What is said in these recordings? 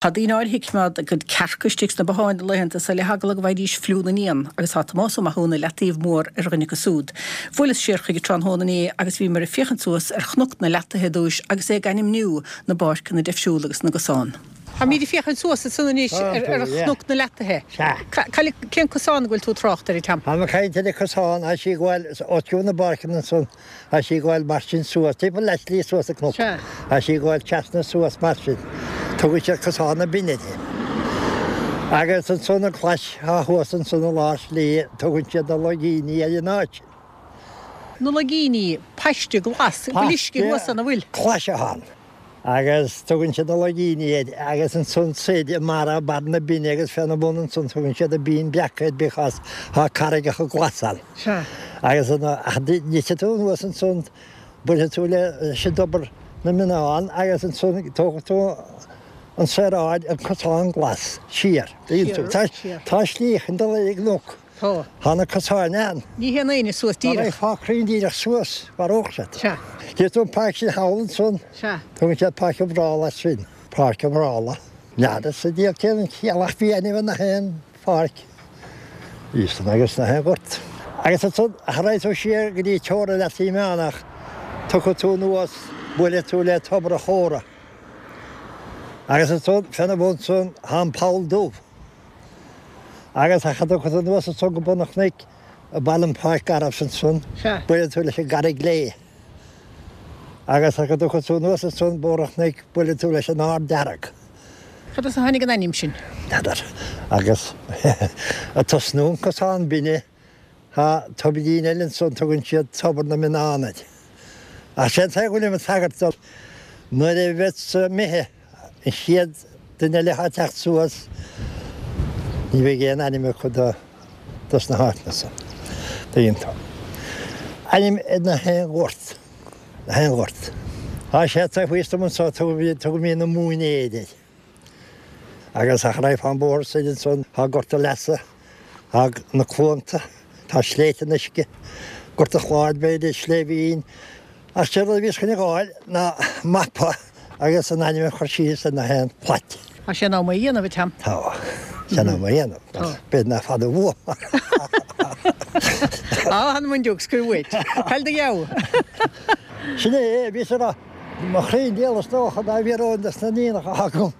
Tá daoine áirithe ag coimeád a gcuid cearca istigh sna botháin na laethanta so le heagla go bhfaighidís fliú na n-éan agus tá Tomás Ó Mathúna i Leataobh Mór ar dhuine acu súd. Bhuaileas siar chuige tráthnóna inné agus bhíomar ag féachaint suas ar Chnoc na Leataithe i dtúis agus é ag ainmniú na bpáirceanna deifriúla agus na gcosán. Táimíd ag féachaint suas ansan anois ar Chnoc na Leataithe. Cén cosán a bhfuil tú ag trácht air, a Tom? Táim ag caint ar an cosán, tá sí ag gabháil os cionn na bpáirceanna ansan. Tá sí ag gabháil mar sin suas, timpeall leath slí suas an cnoc. Tá sí ag gabháil trasna suas mar sin. Tugann siad Cosán na Binne uirthi. Agus ansan an clais atá thuas ansan i lár slí, tugann siad na Loigíní ar an áit sin. Na Loigíní, paiste glas, an bhfuil uisce thuas ann, an bhfuil? Clais atá ann. Agus tugann siad na Loigíní air agus ansan soir i mbarra, barr na binne agus féna bhun ansan tugann siad an Binn Breac air because tá carraigeacha glasa ann. Sea. Agus an, ach titfidh tú anuas ansan buailfidh tú leis an dtobar na Mionnán agus ansan tógfaidh tú an saoráid, an cosán glas, siar. Siar, siar. Tá slí chun dul ar an gcnoc. Tá. Tá na cosáin ann. Ní théann éinne suas díreach. Dá raghfá cruinn díreach suas, mharódh siad. Sea. Tchíonn tú an pháirc sin thall ansan? Sea. Tugann siad Páirc an Bhrála air sin. Páirc an Bhrála. N'fheadar sa diabhal cén chiall ach bhí ainm ar nach aon pháirc. Bhí san agus nach aon ghort. Agus ansan, cha raghaidh tú siar go dtí teorainn Leath Meánach, tiocfaidh tú anuas, buailfidh tú le Tobar an Chóra. Agus ansan, féna bhun san, tá an Poll Dubh. Agus ach a dtiocfaidh tú anuas ansan go bun an chnoic, i baile an Pháirc Garbh ansan, buailfidh tú leis an gCarraig Léith. Agus ach a dtiocfaidh tú anuas ansan bóthar an chnoic, buailfidh tú leis an Ard Dearg. Cad as a tháinig an ainm sin? N'fheadar. Agus ag tosnú an cosán binne, Tá tobairín eile ansan tugann siad Tobar na Mionnán air. Ach sé an t-aon go bhfuilim ag tagairt dó nuair a bheas imithe an chéad duine eile atá ag teacht suas ní bheidh aon ainm acu do dos na háiteanna san. Tuigeann tú. Ainm ar na haon ghort. Na haon ghort. Tá sé taobh thíos dom anso tugaimid na Móinéir air. Agus ach raghfá an bóthar soir ansan tá Gort an Leasa, tá na Cluanta, tá Sléibhte an Uisce, Gort an Chláir b'fhéidir, Sléibhín. Ach sé rud a bhíos chun a dh'fháil ná mapa agus an ainm a chur síos ar na haon phlait. Tá sé in am é a dhéanamh, a Tom. Tá sé in am é a dhéanamh. Tá. B'fhéidir nach fada uaim. Á, an bhain scaoil uait. Cail do gheabha. Sin é, bhíos ag rá. Mo chroí diabhal is dócha dá bhfiafróinn dos na iníonacha atá agam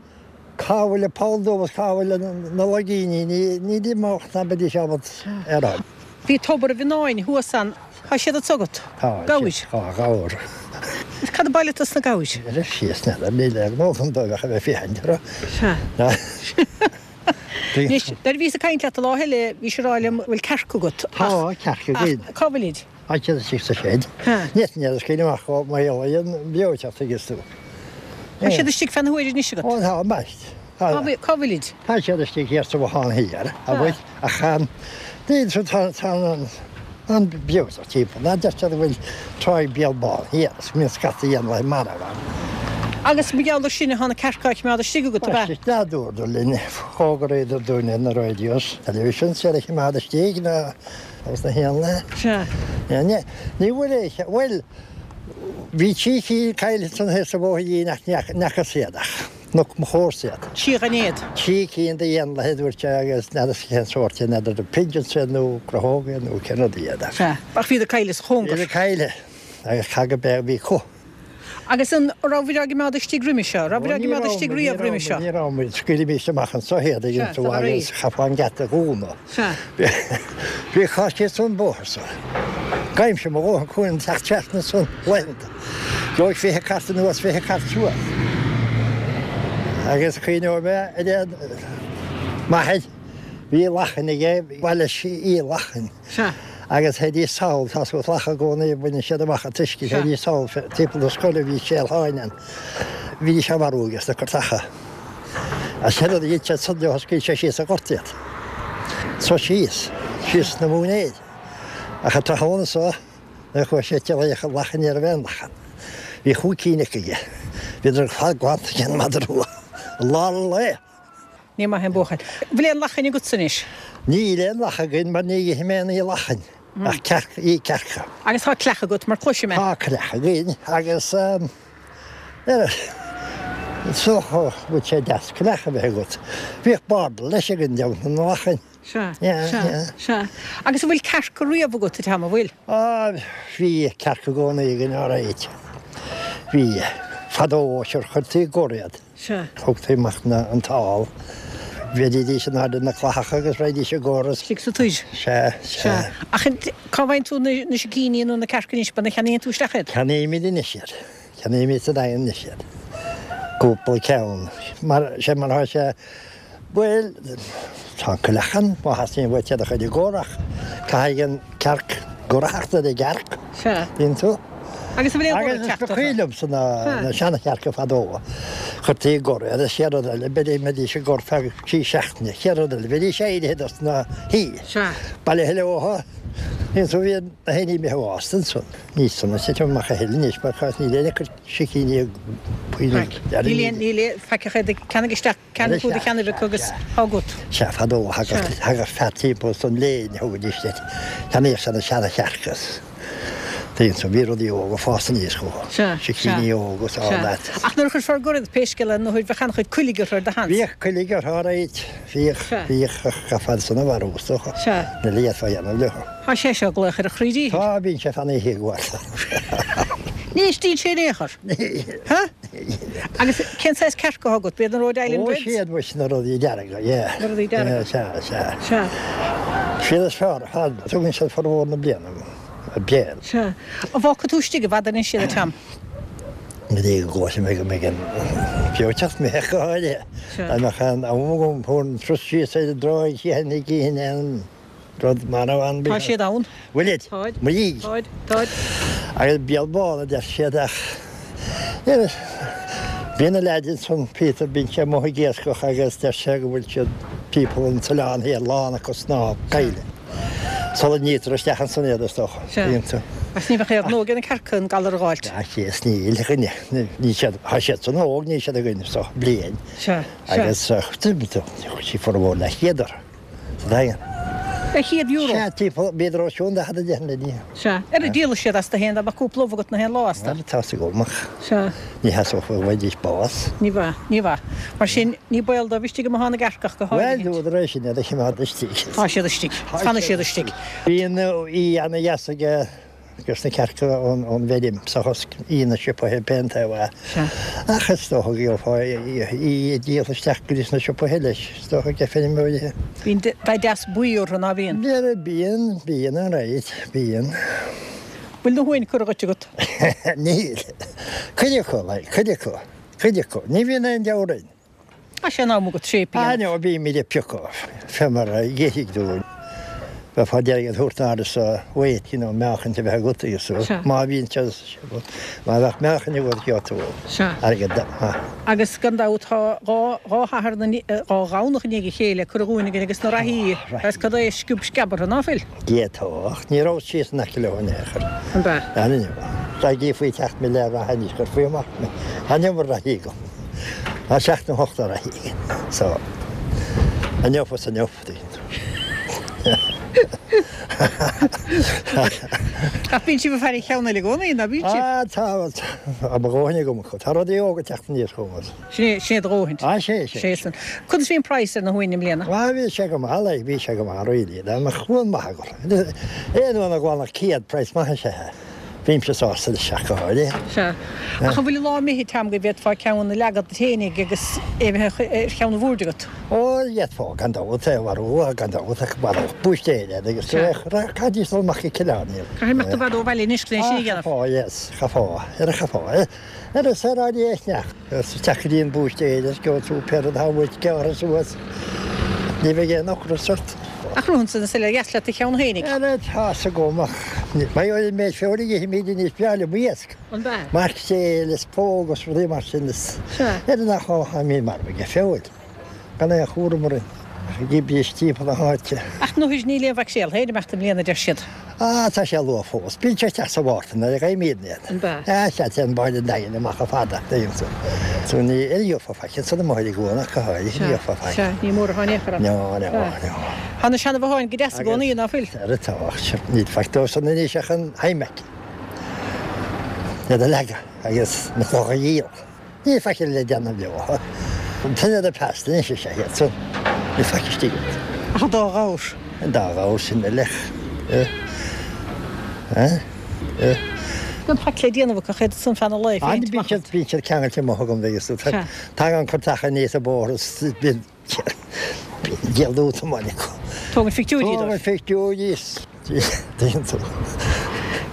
cá bhfuil an poll dubh is cá bhfuil na loigíní, ní d'imeodh ná beidís ábalta é a rá. Bhí tobar an Mhionnáin thuas ann, tá siad anso agat? Tá, Gabhair? Tá, gabhar. Is cad a ba leat as na gabhair? Ar síos, n'fheadar, níl aon ghnó agam dóibh ach a bheith féachaint orthu. Sea. Anois, nuair a bhíos ag caint leat an lá eile, bhís ag rá liom bhfuil cearca agat. Tá, cearca againn. Ach cá bhfuilid? Tá siad istigh sa seid. Ní fhéadfainn iad a scaoileadh amach go mar gheall ar an bhreoiteacht tuigeann tú. Tá siad istigh fé na huaire anois agat? Ó tá, ambaist. Cá bhfuilid? Tá siad istigh thiar sa bhothán thiar, abair, ach níl siad, tá an bhreoiteacht timpeall. Ná deirtear go bhfuil Tráigh Béal Bán thiar is go mbíonn scata éanlaithe marbh ann. Agus mar gheall ar sin atá na cearca á choimeád istigh agat, ab ea? Ambaist, dúradar linn, fhógraíodar dúinn ar na radios, television, iad a choimeád istigh ná Agus na héanlaithe? Sea. Ní, ní bhfuil aon, bhuel, bhí trí cinn caillte ansan thiar sa bhóithrín ach ní fhacas iad ach chonaic mo chomharsa iad. Trí ghainéad. Trí cinn d'éanlaithe a dúirt sé agus n'fheadar cén sórt iad, n'fheadar an pigeons iad nó crochóga iad nó cén rud iad ach. Sea. Ach bhíodar caillte sa chóngar. Bhíodar caillte agus caithfidh go b'é a bhí acu. Agus an rabhaibh á gcoimeád istigh roimhe seo? Rabhaibh á gcoimeád istigh riamh roimhe seo? Ní raibh muid, scaoilimís amach anso iad ag an trá agus chaithfeá an geata a dhúnadh. Bhí cás síos an bóthar so. Gabhaimse mo dhóthain cúnamh teacht trasna ansan laethanta. Gheobhaidh 20 cairt anuas, 20 cairt suas. Agus cuimhneoidh mé ar an m'athair, bhí lachain aige, ba leis í lachain. Sea. Agus théidís sall, tá suas lacha i gcónaí, baineann siad amach an t-uisce, théidís sall timpeall na scoile, bhí séal-sháinn ann. Bhídís á marú aige sna curtacha. Agus sé rud a dhein sé san leo, scaoil sé síos sa ghort iad. So síos, síos sna móinéir. Ach an tráthnóna so, nuair a chuaigh sé ag iarraidh an lachain ní raibh aon lachan. Bhí chúig cinn acu aige. Bhíodar ar fad glanta ag an madra rua. I lár an lae. Ní maith an buachaill. Bhfuil aon lachain agatsa anois? Níl aon lach againn mar ní ithim aon ní lachain ach cearc, í cearca. Agus tá creach agat mar cloisim é. Tá creach againn agus. Is dócha go bhfuil sé deas coileach a bheith agat. Bhíodh bardal leis againn déanta na lachain. Sea, sea, sea. Agus an bhfuil cearca riamh agat, a Tom, an bhfuil? Á, bhí cearca i gcónaí againn, alright. Bhí. Fadó, sure, chuirtí i gcur iad. Sea. Thugtaí amach na, an t-ál. Bheidís in airde na clathacha agus raghaidís i gcur is. Istigh sa toir. Sea, sea. Sea. Ach cá bhfaigheann tú na, na sicíní nó na cearca anois, an cheannaíonn tú isteach iad? Ceannaímid anois iad. Ceannaímid sa Daingean anois iad. Cúpla ceann. Mar, sé mar atá sé, bhuel, tá an coileach ann, má theastaíonn uait iad a chur i gcur ach caithfidh an cearc gor a theacht ar an gcearc. Sea. Tuigeann tú? Agus an bhfuil aon ghor ag Agus teacht ba orthu? chuimhin liomsa na na seana-chearca fadó. Chuirtí i gcur iad, an chéad rud eile, b'fhéidir mbeidís i gcur feadh trí seachtaine, chéad rud eile, bheidís éirithe dos na hí. Sea. Bailithe leothu, bhíonn tú, bhíonn na héinní imithe bhásta ansan. Ní san a titim amach a thuilleadh anois mar chás níl aon sicíní ag Níl aon, níl aon, faic ach iad ag ceannaigh isteach, ceannaigh tú do cheannaire acu agus tá agat. Sea, fadó thagadh, thagadh fear timpeall san léin, thugaidís duit, cheannaíodh sé na seana-chearca. Tuigeann tú, bhí rudaí óga ag fás aníos chucu, sicíní óga is all that. Ach nuair a chuirfeá i gcur iad, pé scéal é, nó bheadh an-chuid coiligh orthu ar do sheans. Bhíodh coiligh orthu alright, bhíodh, bhíodh, ach chaithfeá iad san a mharú is dócha, níl a fhios a dhéanamh leo. Tá sé seo ag glaoch ar a chroí díchill. Tá, bíonn sé fan oíche ag bhaile. Ní éistíonn sé in aon chor. Ha? Agus cén saghas cearca atá agat? B'iad na Rhode Island Ó, Reds? siad muis na rudaí dearga, yeah. Na rudaí dearga. Yeah, sea, sea. Sea. Siad is fearr ar fad. Tugann siad formhór na bliana béal. Sea. An bhfágfaidh tú istigh i bhfad anois iad, a Tom? Go dtí go gcloisfidh mé go mbeidh an feoiteacht mé go háirithe. Sea. Dá mbeadh aon am agam, thabharfainn turas síos ar an dtráigh, tchífinn, gcífinn aon rud marbh ann. Tá siad ann. Bhfuilid? Táid. Mo dhiaidh. Táid. Táid. Agus béal bán a deir siad ach níl Bíonn na leaids ansan, Peter, bíonn sé amuigh ag iascach agus deir sé go bhfuil siad timpeall an t-oileán thiar lán acu snámh caille. Sula nítear isteach ansan iad is dócha. Sea. Bíonn tú. Ach ní bheadh aon ghnó ag na cearca an galar a dh'fháilt. Ach is níl a dhuine. Níl siad, tá siad san óg, níl siad againn so bliain. Sea. Sea. Agus sí formhór leathchéad orthu. Sa Daingean. Leathchéad euro? Sea, timpeall, b'fhéidir os cionn 40 na dí. Sea. Ar a díolfaidh siad astu féin dá mbeadh cúpla ubh agat na haon lá astu. Bhuel, tá's agam ach Sea. ní sheasódh go bhfaighidís bás. Ní bheadh, ní bheadh. Mar sin, ní baol dóibh istigh i mbothán na gcearc ach go Bhuel, háirithe. údar é sin iad a choimeád istigh. Tá siad istigh. Fanfaidh siad istigh. Bíonn í ana-dheas aige Agus na cearca ón bhfeirm sa chosc í na siopaithe pé an taobh é. Ach is dócha go gheofá í ag díol isteach go dtí sna siopaithe leis, is dócha ag feirmeoirí. Bíonn dath deas buí orthu, ná bíonn? Bíonn, bíonn alright, bíonn. Bhfuil na huain curtha dhuit agat? Níl. Cuid acu, like, cuid acu, cuid acu. Ní bhíonn aon deabhadh orainn. Tá sé in am agat séip a Ah dhéanamh. no, bímid ag piocadh fé mar a dh'ithigh dúinn. Bheifeá d'iarraidh iad a thabhairt in airde sa weight, you know, meáchaint a bheith agat agus so. Sea. Má bhíonn sé, má bheadh meáchaint agat gheobhaidh tú Sea. airgead maith. Agus gan dabht tá dhá, dhá Shatharn, dhá Dhomhnach i ndiaidh a chéile curtha dhúinn againn agus na reathaí agus cad é sciob sceab orthu, ná fuil? D'fhéadfá, ach ní rabhas síos in aice leo in aon chor. An b'ea? An inniu. Dá gcífí teacht mé le reatha anois, chuirfí amach mé. Tá an iomarca reathaí agam. Tá seacht nó ocht de reathaí agam. So, inniu is inniu, tuigeann tú. Ach bíonn sibh ag faire cheann eile i gcónaí, ná bíonn sibh? Ah, tá, tá mo dhóthain agam acu. Tá rudaí óga ag teacht aníos chugam. Sin é, sin é do dhóthain. Ah, sé, sé. Sé san. Conas bhí an praghas ar na huain i mbliana? Ah, bhí sé go maith, like, bhí sé go maith, really. Dá mbeadh uan maith agat. Aon uan a ghabhann 100, praghas maith is ea é. Bímse sásta leis ach go háirithe. Sea. Ach an bhfuil an lá imithe, Tom, go bhféadfá ceann a leagadh duit fhéinig agus é a bheith ar cheann an bhoird agat? Ó, d'fhéadfá, gan dabht, é a mharú, gan dabht, ach mharódh búistéir iad agus Sea. Chaithfidís dul amach go Cill Airne. Caithfidh imeacht i bhfad ó bhaile anois chun é sin a Ah, dhéanamh. chaithfeá, yes, chaithfeá, ar a chaithfeá. Ar an saoráidí a shneachta. Is isteach go dtí an búistéir is gheobhaidh tú pé rud atá uait gearrtha suas. Ní bheidh aon ocras ort. Ach romhansa na soiléir dheas leat do cheann fhéinig. Ara tá's agam ach mar gheall ar an méid feoil a ithimid anois b'fhearr liom iasc. An b'ea? Maicréil is póg is rudaí mar sin is Sea. ar nach táimid marbh aige feoil. Gan aon chúram orainn. Ag oibriú timpeall na háite. Ach nuair níl aon mhaicréal féin ag imeacht i mbliana, a deir siad. Ah, tá sé luath fós. Bíonn sé isteach sa Mhárta nuair a gheibhimidne iad. An b'ea? Ah, sea, téann báid an Daingin amach chomh fada, tuigeann tú. So ní gheofá faic ansan amuigh ar an gcuan ach go háirithe, ní gheofá faic. Sea, ní mór atá in aon chor ann. No, no, no. Tá na seana-bhotháin go deas i gcónaí, ná fuil? Ara tá, ach níl faic dóibh san anois ach an hammock. Iad a leagadh agus na clocha a dhíol. Níl faic eile le déanamh leo. An tine the past anois is ea iad san. Níl faic istigh iontu. Ach an dá ghabhar. An dá ghabhar sin uilig. Gan faic le déanamh acu ach iad san feadh an lae féin. Bíonn siad, bíonn siad ceangailte amuigh agam bheidh fhios agat. Tagann cuirteach aníos an bóthar is bíonn, bíonn díol útamáil acu. Tógann pictiúirí dóibh. Tógann pictiúirí is tuigeann tú.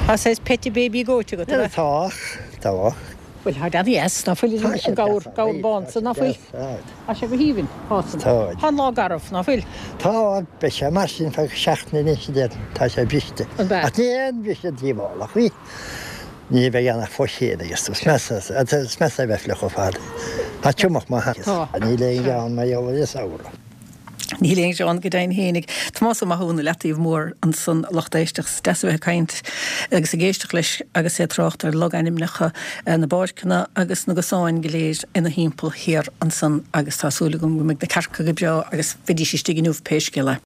Tá saghas pet baby goat agat, ab ea? Tá, tá. Bhuel, tá deas dheas, ná fuil? An gabhar, gabhar bán san, ná fuil? Tá sé go haoibhinn, tá san. Tá an lá garbh, ná fuil? Tá, beidh sé mar sin feadh seachtaine anois, a déarfainn. Tá sé briste. An b'ea? Ach ní aon bhriseadh díobhálach í. Ní bheidh ann ach fó chéad agus is measa, is measa a bheith fliuch ar fad. Tá triomach maith. Tá. Níl aon ghean mar gheall ar an samhradh. Níl aon ghreann go deimhin fhéinig. Tomás Ó Mathúna, Leataobh Mór ansan, a lucht éisteachta. Is deas a bheith ag caint agus ag éisteacht leis agus é ag trácht ar logainmneacha na bpáirceanna agus na gcosáin go léir ina thimpeall thiar ansan agus tá súil agam go mbeidh na cearca go breá agus bheidís istigh inniu pé scéal é.